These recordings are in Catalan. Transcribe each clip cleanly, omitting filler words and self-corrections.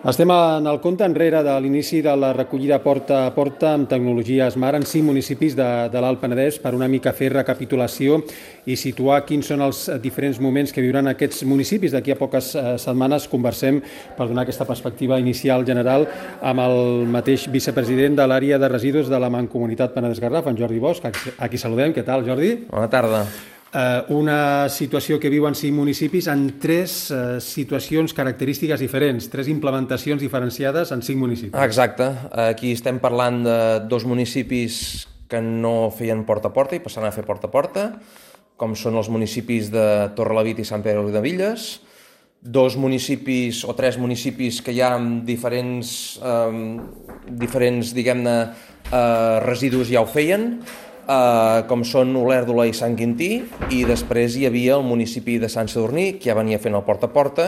Estem en el compte enrere de l'inici de la recollida porta a porta amb tecnologia Smart en 5 municipis de l'Alt Penedès per una mica fer recapitulació i situar quins són els diferents moments que viuran aquests municipis. D'aquí a poques setmanes conversem per donar aquesta perspectiva inicial general amb el mateix vicepresident de l'àrea de residus de la Mancomunitat Penedès-Garraf, en Jordi Bosch, a qui saludem. Què tal, Jordi? Bona tarda. Una situació que viuen 5 municipis en 3 situacions característiques diferents, 3 implementacions diferenciades en 5 municipis. Exacte. Aquí estem parlant de 2 municipis que no feien porta a porta i passaran a fer porta a porta, com són els municipis de Torrelavit i Sant Pere de Riudebitlles, 2 municipis o 3 municipis que hi ha amb diferents diguem-ne, residus ja ho feien, com són Olèrdola i Sant Quintí, i després hi havia el municipi de Sant Sadurní, que ja venia fent el porta a porta,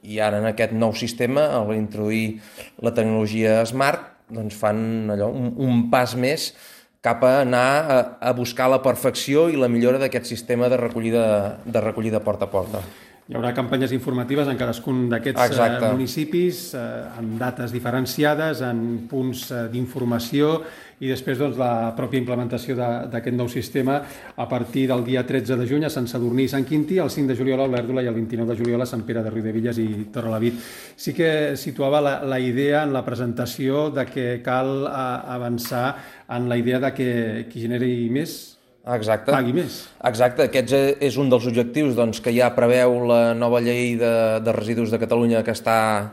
i ara en aquest nou sistema, al introduir la tecnologia Smart, doncs fan allò, un pas més cap a anar a buscar la perfecció i la millora d'aquest sistema de recollida porta a porta. Hi haurà campanyes informatives en cadascun d'aquests municipis, amb dates diferenciades, en punts d'informació, i després la pròpia implementació d'aquest nou sistema a partir del dia 13 de juny a Sant Sadurní i Sant Quintí, el 5 de juliol a Olèrdola i el 29 de juliol a Sant Pere de Riudebitlles i Torrelavit. Sí que situava la idea en la presentació de que cal avançar en la idea de que qui generi més pagui més. Exacte, aquest és un dels objectius que ja preveu la nova llei de residus de Catalunya, que està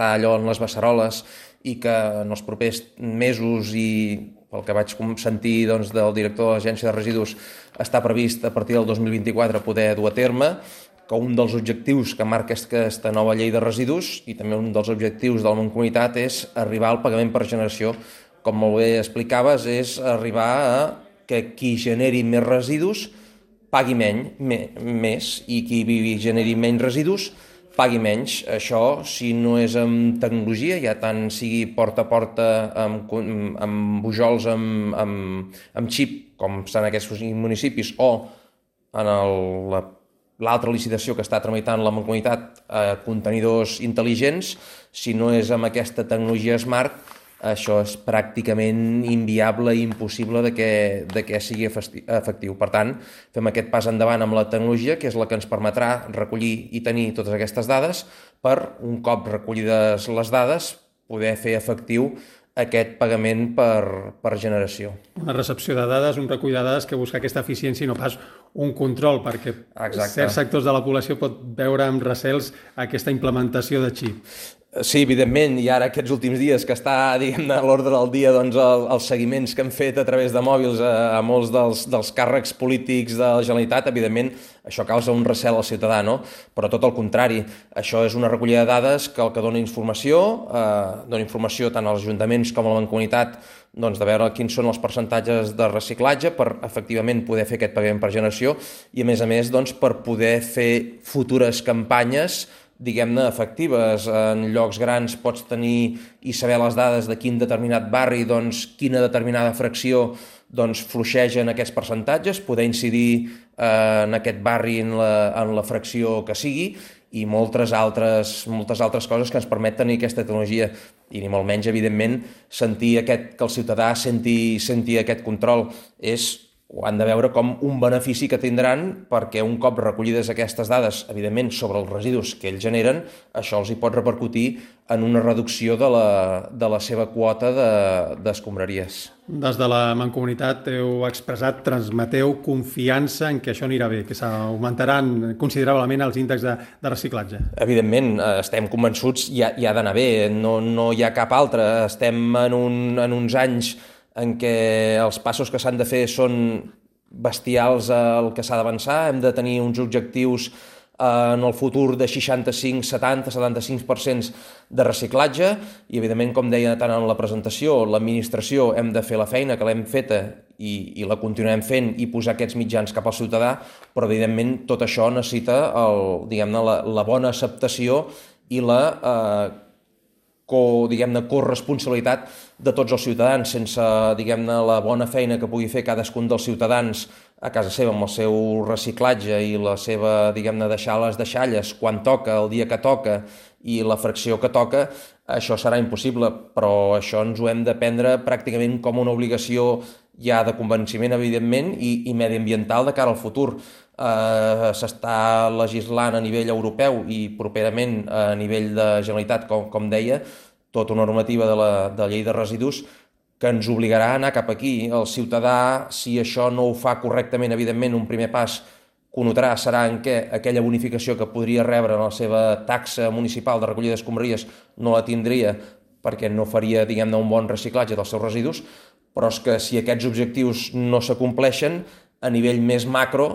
allò en les beceroles, i que en els propers mesos, i pel que vaig sentir del director de l'Agència de Residus, està previst a partir del 2024 poder dur a terme, que un dels objectius que marca aquesta nova llei de residus, i també un dels objectius de la Mancomunitat, és arribar al pagament per generació. Com molt bé explicaves, és arribar a que qui generi més residus pagui més, i qui generi menys residus pagui menys. Això, si no és amb tecnologia, ja tant sigui porta a porta amb bujols amb xip, com estan aquests municipis, o en l'altra licitació que està tramitant la Mancomunitat, contenidors intel·ligents, si no és amb aquesta tecnologia Smart, això és pràcticament inviable i impossible de que sigui efectiu. Per tant, fem aquest pas endavant amb la tecnologia, que és la que ens permetrà recollir i tenir totes aquestes dades per, un cop recollides les dades, poder fer efectiu aquest pagament per generació. Una recepció de dades, un recull de dades que busca aquesta eficiència i no pas un control, perquè certs sectors de la població pot veure amb recels aquesta implementació de xip. Sí, evidentment, i ara aquests últims dies que està, diguem-ne, a l'ordre del dia els seguiments que han fet a través de mòbils a molts dels càrrecs polítics de la Generalitat, evidentment això causa un recel al ciutadà, no? Però tot el contrari, això és una recollida de dades que el que dona informació tant als ajuntaments com a la Mancomunitat, de veure quins són els percentatges de reciclatge per efectivament poder fer aquest pagament per generació, i a més per poder fer futures campanyes, diguem-ne, efectives. En llocs grans pots tenir i saber les dades de quin determinat barri, quina determinada fracció fluixegen aquests percentatges, poder incidir en aquest barri en la fracció que sigui, i moltes altres coses que ens permet tenir aquesta tecnologia, i ni molt menys, evidentment, sentir que el ciutadà senti aquest control. Ho han de veure com un benefici que tindran, perquè un cop recollides aquestes dades, evidentment, sobre els residus que ells generen, això els hi pot repercutir en una reducció de la seva quota d'escombraries. Des de la Mancomunitat heu expressat, transmeteu confiança en que això anirà bé, que s'augmentaran considerablement els índexs de reciclatge. Evidentment, estem convençuts, i ha d'anar bé, no hi ha cap altre. Estem en uns anys en què els passos que s'han de fer són bestials el que s'ha d'avançar. Hem de tenir uns objectius en el futur de 65, 70, 75% de reciclatge, i evidentment, com deia tant en la presentació, l'administració hem de fer la feina que l'hem feta i la continuem fent, i posar aquests mitjans cap al ciutadà, però evidentment tot això necessita la bona acceptació i la corresponsabilitat de tots els ciutadans, sense, diguem-ne, la bona feina que pugui fer cadascun dels ciutadans a casa seva amb el seu reciclatge i la seva, diguem-ne, deixar les deixalles quan toca, el dia que toca i la fracció que toca, això serà impossible, però això ens ho hem de prendre pràcticament com una obligació ja de convenciment, evidentment, i mediambiental de cara al futur. S'està legislant a nivell europeu i properament a nivell de Generalitat, com deia, tota una normativa de la llei de residus que ens obligarà a anar cap aquí. El ciutadà, si això no ho fa correctament, evidentment, un primer pas que ho notarà serà en què aquella bonificació que podria rebre en la seva taxa municipal de recollida d'escombraries no la tindria perquè no faria, diguem-ne, un bon reciclatge dels seus residus, però és que si aquests objectius no s'acompleixen, a nivell més macro,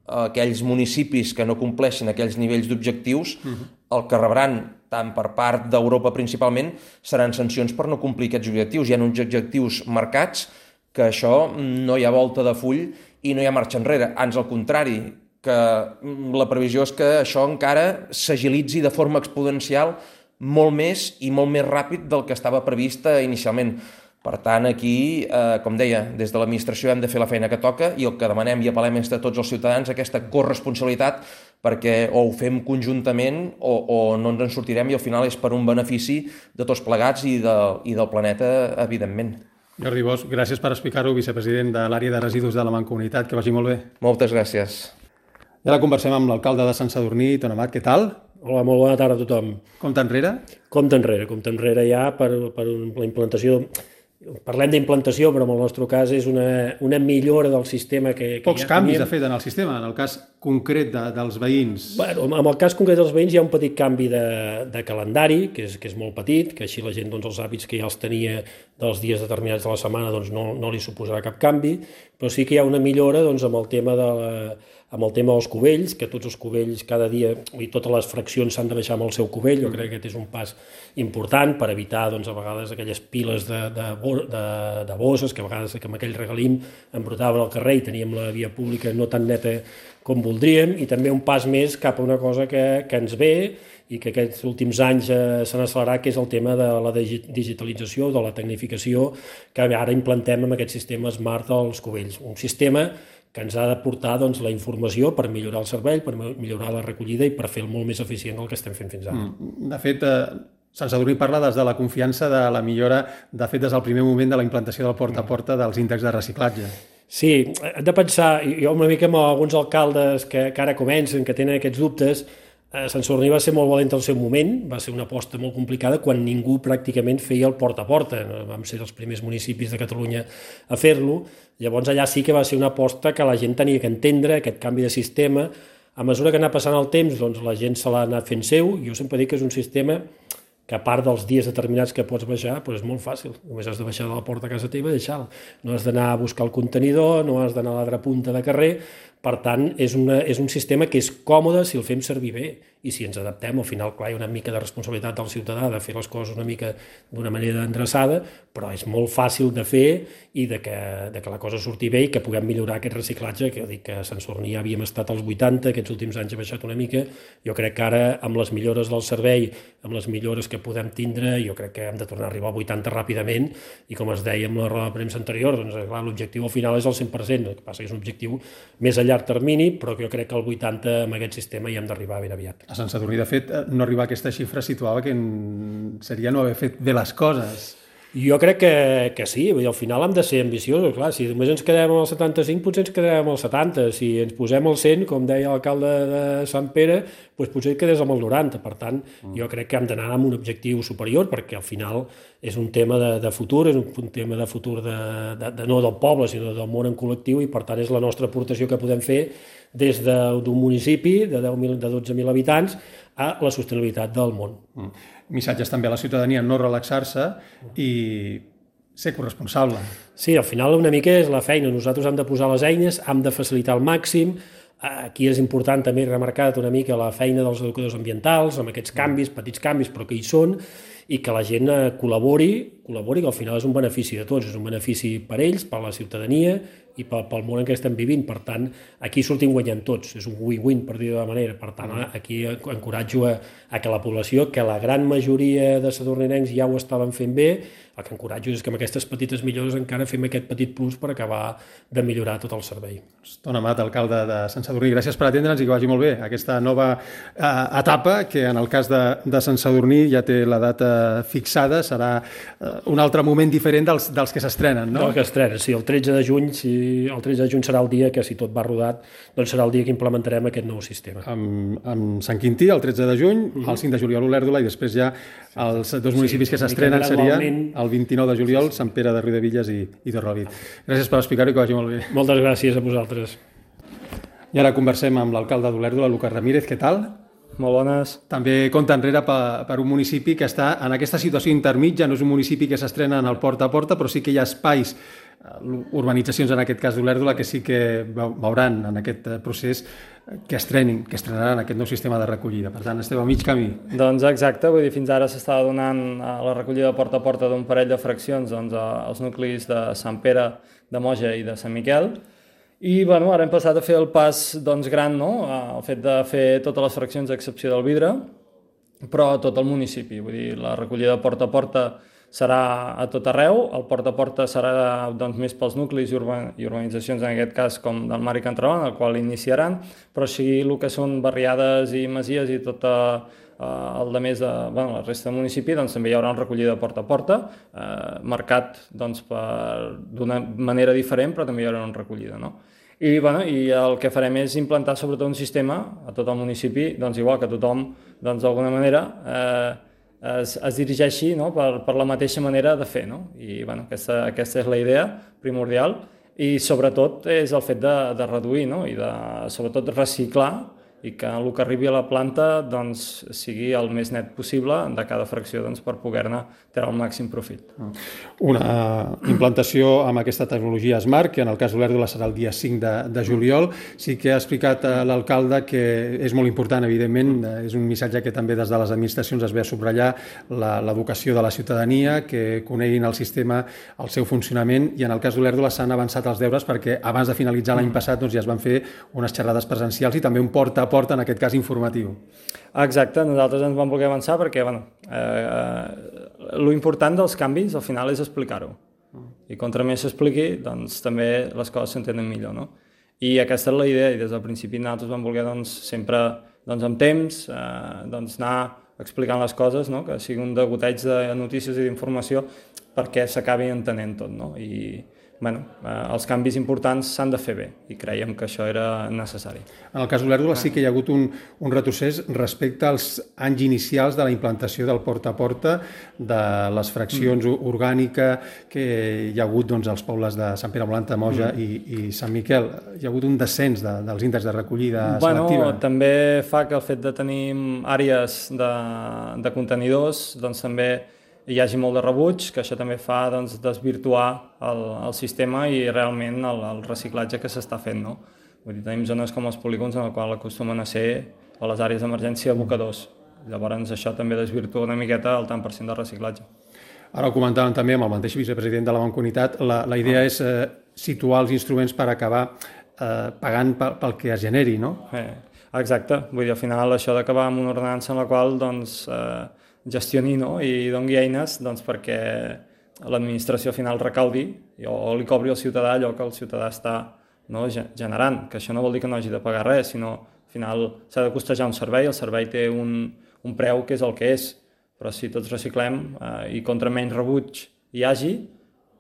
aquells municipis que no compleixin aquells nivells d'objectius, el que rebran, tant per part d'Europa principalment, seran sancions per no complir aquests objectius. Hi ha uns objectius marcats que això no hi ha volta de full i no hi ha marxa enrere. Ans al contrari, que la previsió és que això encara s'agilitzi de forma exponencial molt més i molt més ràpid del que estava previst inicialment. Per tant, aquí, com deia, des de l'administració hem de fer la feina que toca i el que demanem i apel·lem és de tots els ciutadans aquesta corresponsabilitat perquè o ho fem conjuntament o no ens en sortirem i al final és per un benefici de tots plegats i del planeta, evidentment. Jordi Bosch, gràcies per explicar-ho, vicepresident de l'àrea de residus de la Mancomunitat. Que vagi molt bé. Moltes gràcies. I ara conversem amb l'alcalde de Sant Sadurní, Ton Amat. Què tal? Hola, molt bona tarda a tothom. Compte enrere? Compte enrere ja per la implantació. Parlem d'implantació, però en el nostre cas és una millora del sistema que Pocs canvis ha fet en el sistema, en el cas concret dels veïns. Bueno, en el cas concret dels veïns hi ha un petit canvi de calendari, que és molt petit, que així la gent, doncs, els hàbits que ja els tenia dels dies determinats de la setmana, doncs, no li suposarà cap canvi, però sí que hi ha una millora, doncs, amb el tema dels cubells, que tots els cubells cada dia, i totes les fraccions s'han de baixar amb el seu cubell. Jo crec que aquest és un pas important per evitar, doncs, a vegades aquelles piles de bosses que a vegades amb aquell regalim embrotaven al carrer i teníem la via pública no tan neta com voldríem, i també un pas més cap a una cosa que ens ve i que aquests últims anys s'han accelerat, que és el tema de la digitalització, de la tecnificació, que ara implantem amb aquest sistema Smart als cubells. Un sistema que ens ha de portar, doncs, la informació per millorar el servei, per millorar la recollida i per fer-lo molt més eficient del que estem fent fins ara. De fet, Sant Sadurní parla des de la confiança de la millora, de fet, des del primer moment de la implantació del porta a porta dels índexs de reciclatge. Sí, hem de pensar, jo una mica amb alguns alcaldes que ara comencen, que tenen aquests dubtes. Sant Sadurní va ser molt valent al seu moment, va ser una aposta molt complicada quan ningú pràcticament feia el porta a porta. Vam ser els primers municipis de Catalunya a fer-lo. Llavors allà sí que va ser una aposta que la gent tenia que entendre, aquest canvi de sistema. A mesura que anava passant el temps, doncs la gent se l'ha anat fent seu. Jo sempre dic que és un sistema que a part dels dies determinats que pots baixar, doncs és molt fàcil. Només has de baixar de la porta a casa teva i deixar-la. No has d'anar a buscar el contenidor, no has d'anar a l'altra punta de carrer. Per tant, és un sistema que és còmode si el fem servir bé. I si ens adaptem, al final, clar, hi ha una mica de responsabilitat del ciutadà de fer les coses una mica d'una manera endreçada, però és molt fàcil de fer i de que la cosa surti bé i que puguem millorar aquest reciclatge, que dic que a Sant Sadurní ja havíem estat als 80, aquests últims anys ha baixat una mica. Jo crec que ara, amb les millores del servei, amb les millores que podem tindre, jo crec que hem de tornar a arribar al 80 ràpidament, i com es deia amb la roda de premsa anterior, doncs clar, l'objectiu al final és el 100%, el que passa que és un objectiu més a llarg termini, però jo crec que el 80 amb aquest sistema hi hem d'arribar ben aviat. A Sant Sadurní, de fet, no arribar a aquesta xifra situava que seria no haver fet bé les coses. Jo crec que sí, al final hem de ser ambiciosos, clar, si només ens quedem amb el 75 potser ens quedem amb el 70, si ens posem al 100, com deia l'alcalde de Sant Pere, doncs potser quedés amb el 90, per tant, jo crec que hem d'anar amb un objectiu superior, perquè al final és un tema de futur, és un tema de futur no del poble, sinó del món en col·lectiu, i per tant és la nostra aportació que podem fer des d'un municipi de 12.000 habitants a la sostenibilitat del món. Missatges també a la ciutadania, no relaxar-se i ser corresponsable. Sí, al final una mica és la feina. Nosaltres hem de posar les eines, hem de facilitar al màxim. Aquí és important també remarcar una mica la feina dels educadors ambientals, amb aquests canvis, petits canvis, però que hi són, i que la gent col·labori, que al final és un benefici de tots, és un benefici per ells, per la ciutadania i pel món en què estem vivint. Per tant, aquí sortim guanyant tots, és un win-win, per dir-ho de manera. Per tant, aquí encoratjo a que la població, que la gran majoria de sadurninencs ja ho estaven fent bé, el que encoratjo és que amb aquestes petites millores encara fem aquest petit plus per acabar de millorar tot el servei. Toni Amat, alcalde de Sant Sadurní, gràcies per atendre'ns i que vagi molt bé aquesta nova etapa, que en el cas de Sant Sadurní ja té la data fixada, serà un altre moment diferent dels que s'estrenen, no? Dels que s'estrenen, sí, el 13 de juny, el 13 de juny serà el dia que, si tot va rodat, doncs serà el dia que implementarem aquest nou sistema. Amb Sant Quintí, el 13 de juny, el 5 de juliol Olèrdola, i després ja els dos municipis que s'estrenen serien el 29 de juliol, Sant Pere de Riudevilles i Torrelavit. Gràcies per explicar-ho i que vagi molt bé. Moltes gràcies a vosaltres. I ara conversem amb l'alcalde d'Olèrdola, Lucas Ramírez. Què tal? Molt bones. També compta enrere per un municipi que està en aquesta situació intermitja, no és un municipi que s'estrena en el porta a porta, però sí que hi ha espais, urbanitzacions en aquest cas d'Olèrdola, que sí que veuran en aquest procés que estrenaran aquest nou sistema de recollida. Per tant, esteu a mig camí. Doncs exacte, vull dir, fins ara s'estava donant la recollida porta a porta d'un parell de fraccions als nuclis de Sant Pere, de Moja i de Sant Miquel, i bueno, ara hem passat a fer el pas gran, no? El fet de fer totes les fraccions a excepció del Vidre, però a tot el municipi. Vull dir, la recollida porta a porta serà a tot arreu, el porta a porta serà més pels nuclis i urbanitzacions, en aquest cas com del Mar i Can Traon, el qual iniciaran, però sigui el que són barriades i masies i tot el de més de la resta del municipi, doncs també hi haurà una recollida porta a porta, marcat d'una manera diferent, però també hi haurà una recollida, no? I el que farem és implantar sobretot un sistema a tot el municipi, igual que tothom, d'alguna manera, es dirigeixi per la mateixa manera de fer. I aquesta és la idea primordial, i sobretot és el fet de reduir i de sobretot reciclar, i que el que arribi a la planta sigui el més net possible de cada fracció per poder-ne treure el màxim profit. Una implantació amb aquesta tecnologia Smart, que en el cas d'Olèrdola serà el dia 5 de juliol. Sí que ha explicat l'alcalde que és molt important, evidentment, és un missatge que també des de les administracions es ve a subratllar, l'educació de la ciutadania, que coneguin el sistema, el seu funcionament, i en el cas d'Olèrdola s'han avançat els deures perquè abans de finalitzar l'any passat ja es van fer unes xerrades presencials i també un porta en aquest cas informatiu. Exacte, nosaltres ens vam voler avançar perquè lo important dels canvis al final és explicar-ho, i contra més s'expliqui també les coses s'entenen millor, no? I aquesta és la idea, i des del principi nosaltres vam voler sempre amb temps anar explicant les coses, que sigui un degoteig de notícies i d'informació perquè s'acabi entenent tot, no? I els canvis importants s'han de fer bé, i creiem que això era necessari. En el cas d'Olèrdola sí que hi ha hagut un retrocés respecte als anys inicials de la implantació del porta a porta, de les fraccions orgànica que hi ha hagut als pobles de Sant Pere Molant, Moja i Sant Miquel. Hi ha hagut un descens dels índexs de recollida selectiva. També fa que el fet de tenir àrees de contenidors també hi hagi molt de rebuig, que això també fa desvirtuar el sistema i realment el reciclatge que s'està fent. Vull dir, tenim zones com els polígons en el qual acostumen a ser, a les àrees d'emergència, abocadors. Llavors això també desvirtua una miqueta el tant per cent de reciclatge. Ara ho comentàvem també amb el mateix vicepresident de la Mancomunitat, la idea és situar els instruments per acabar pagant pel que es generi, no? Exacte, vull dir, al final això d'acabar amb una ordenança en la qual gestioni i doni eines perquè l'administració final recaudi o li cobri al ciutadà allò que el ciutadà està generant, que això no vol dir que no hagi de pagar res, sinó al final s'ha de costejar un servei, el servei té un preu que és el que és, però si tots reciclem i contra menys rebuig hi hagi,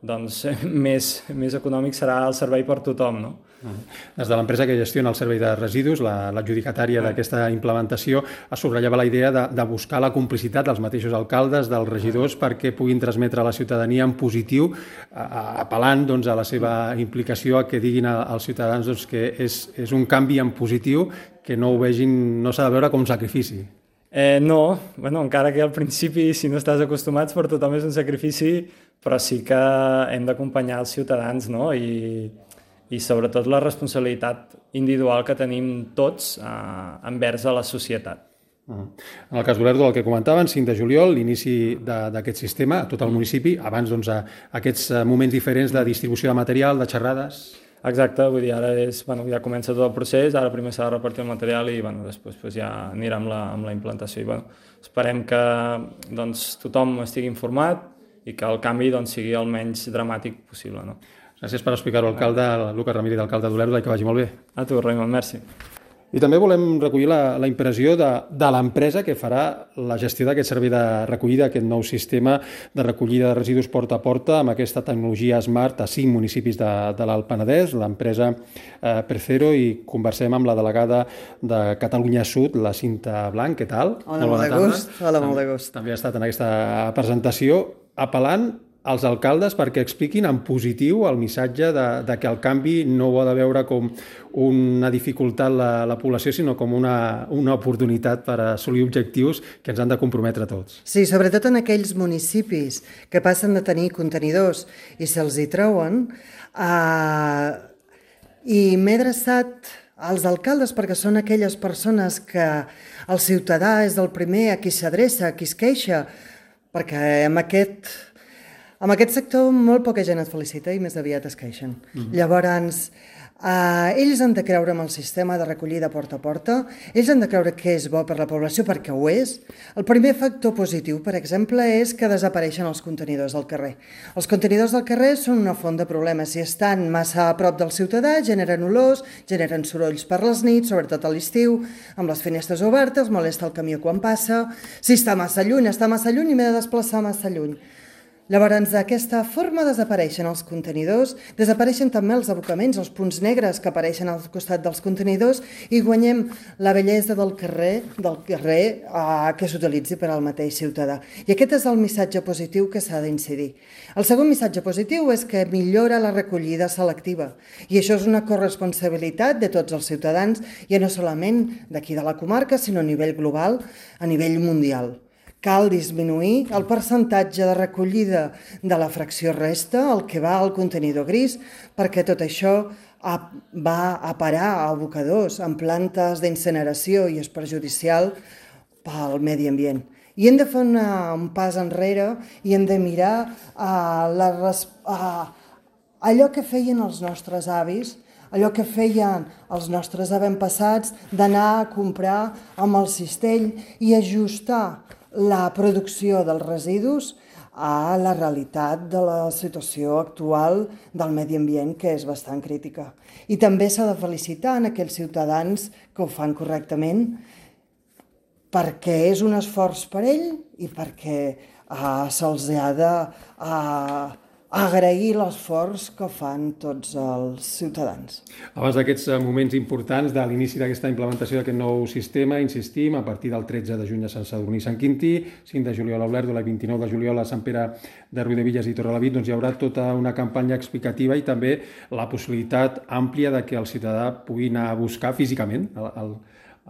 més econòmic serà el servei per tothom, no? Des de l'empresa que gestiona el servei de residus, l'adjudicatària d'aquesta implementació, es subratllava la idea de buscar la complicitat dels mateixos alcaldes, dels regidors, perquè puguin transmetre a la ciutadania en positiu, apel·lant a la seva implicació, a que diguin als ciutadans que és un canvi en positiu, que no ho vegin, no s'ha de veure com un sacrifici. No, encara que al principi, si no estàs acostumats, per tothom és un sacrifici, però sí que hem d'acompanyar els ciutadans, i sobretot la responsabilitat individual que tenim tots envers a la societat. En el cas d'Olèrdola, el que comentaven, 5 de juliol, l'inici d'aquest sistema a tot el municipi, abans aquests moments diferents de distribució de material, de xerrades. Exacte, vull dir, ara ja comença tot el procés, ara primer s'ha de repartir el material i després ja anirà amb la implantació. I esperem que tothom estigui informat i que el canvi sigui el menys dramàtic possible. Gràcies per explicar-ho, alcalde Lucas Ramírez, alcalde d'Olèrdola, i que vagi molt bé. A tu, Raimon, merci. I també volem recollir la impressió de l'empresa que farà la gestió d'aquest servei de recollida, aquest nou sistema de recollida de residus porta a porta amb aquesta tecnologia Smart a 5 municipis de l'Alt Penedès, l'empresa Precero, i conversem amb la delegada de Catalunya Sud, la Cinta Blanc. Què tal? Hola, molt de gust. Hola, molt de gust. També ha estat en aquesta presentació apel·lant als alcaldes perquè expliquin en positiu el missatge de que el canvi no ho ha de veure com una dificultat la població, sinó com una oportunitat per assolir objectius que ens han de comprometre tots. Sí, sobretot en aquells municipis que passen de tenir contenidors i se'ls hi treuen. I m'he adreçat als alcaldes perquè són aquelles persones que el ciutadà és el primer a qui s'adreça, a qui es queixa, perquè amb aquest sector molt poca gent et felicita i més aviat es queixen. Llavors, ells han de creure en el sistema de recollida porta a porta, ells han de creure que és bo per la població perquè ho és. El primer factor positiu, per exemple, és que desapareixen els contenidors del carrer. Els contenidors del carrer són una font de problemes. Si estan massa a prop del ciutadà, generen olors, generen sorolls per les nits, sobretot a l'estiu, amb les finestres obertes, molesta el camió quan passa. Si està massa lluny i m'he de desplaçar massa lluny. Llavors, d'aquesta forma desapareixen els contenidors, desapareixen també els abocaments, els punts negres que apareixen al costat dels contenidors i guanyem la bellesa del carrer que s'utilitzi per al mateix ciutadà. I aquest és el missatge positiu que s'ha d'incidir. El segon missatge positiu és que millora la recollida selectiva i això és una corresponsabilitat de tots els ciutadans, ja no solament d'aquí de la comarca, sinó a nivell global, a nivell mundial. Cal disminuir el percentatge de recollida de la fracció resta, el que va al contenidor gris, perquè tot això va a parar a abocadors, en plantes d'incineració i és perjudicial pel medi ambient. I hem de fer un pas enrere i hem de mirar allò que feien els nostres avis, allò que feien els nostres avantpassats d'anar a comprar amb el cistell i ajustar la producció dels residus a la realitat de la situació actual del medi ambient, que és bastant crítica. I també s'ha de felicitar en aquells ciutadans que ho fan correctament, perquè és un esforç per ell i perquè se'ls ha d'agrair l'esforç que fan tots els ciutadans. Abans d'aquests moments importants de l'inici d'aquesta implementació d'aquest nou sistema, insistim, a partir del 13 de juny a Sant Sadurní i Sant Quintí, 5 de juliol a Olèrdola i 29 de juliol a Sant Pere de Riudebitlles i Torrelavit, doncs hi haurà tota una campanya explicativa i també la possibilitat àmplia de que el ciutadà pugui anar a buscar físicament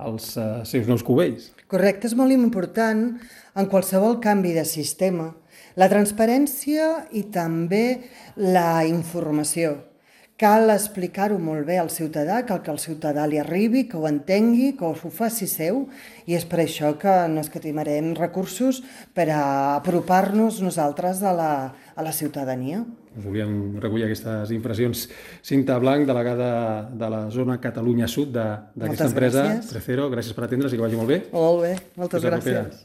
els seus nous cubells. Correcte, és molt important en qualsevol canvi de sistema la transparència i també la informació. Cal explicar-ho molt bé al ciutadà, cal que el ciutadà li arribi, que ho entengui, que ho faci seu, i és per això que no escatimarem recursos per apropar-nos nosaltres a la ciutadania. Volíem recollir aquestes impressions. Cinta Blanc, delegada de la zona Catalunya Sud d'aquesta empresa, Precero, gràcies per atendre's i que vagi molt bé. Molt bé, moltes gràcies.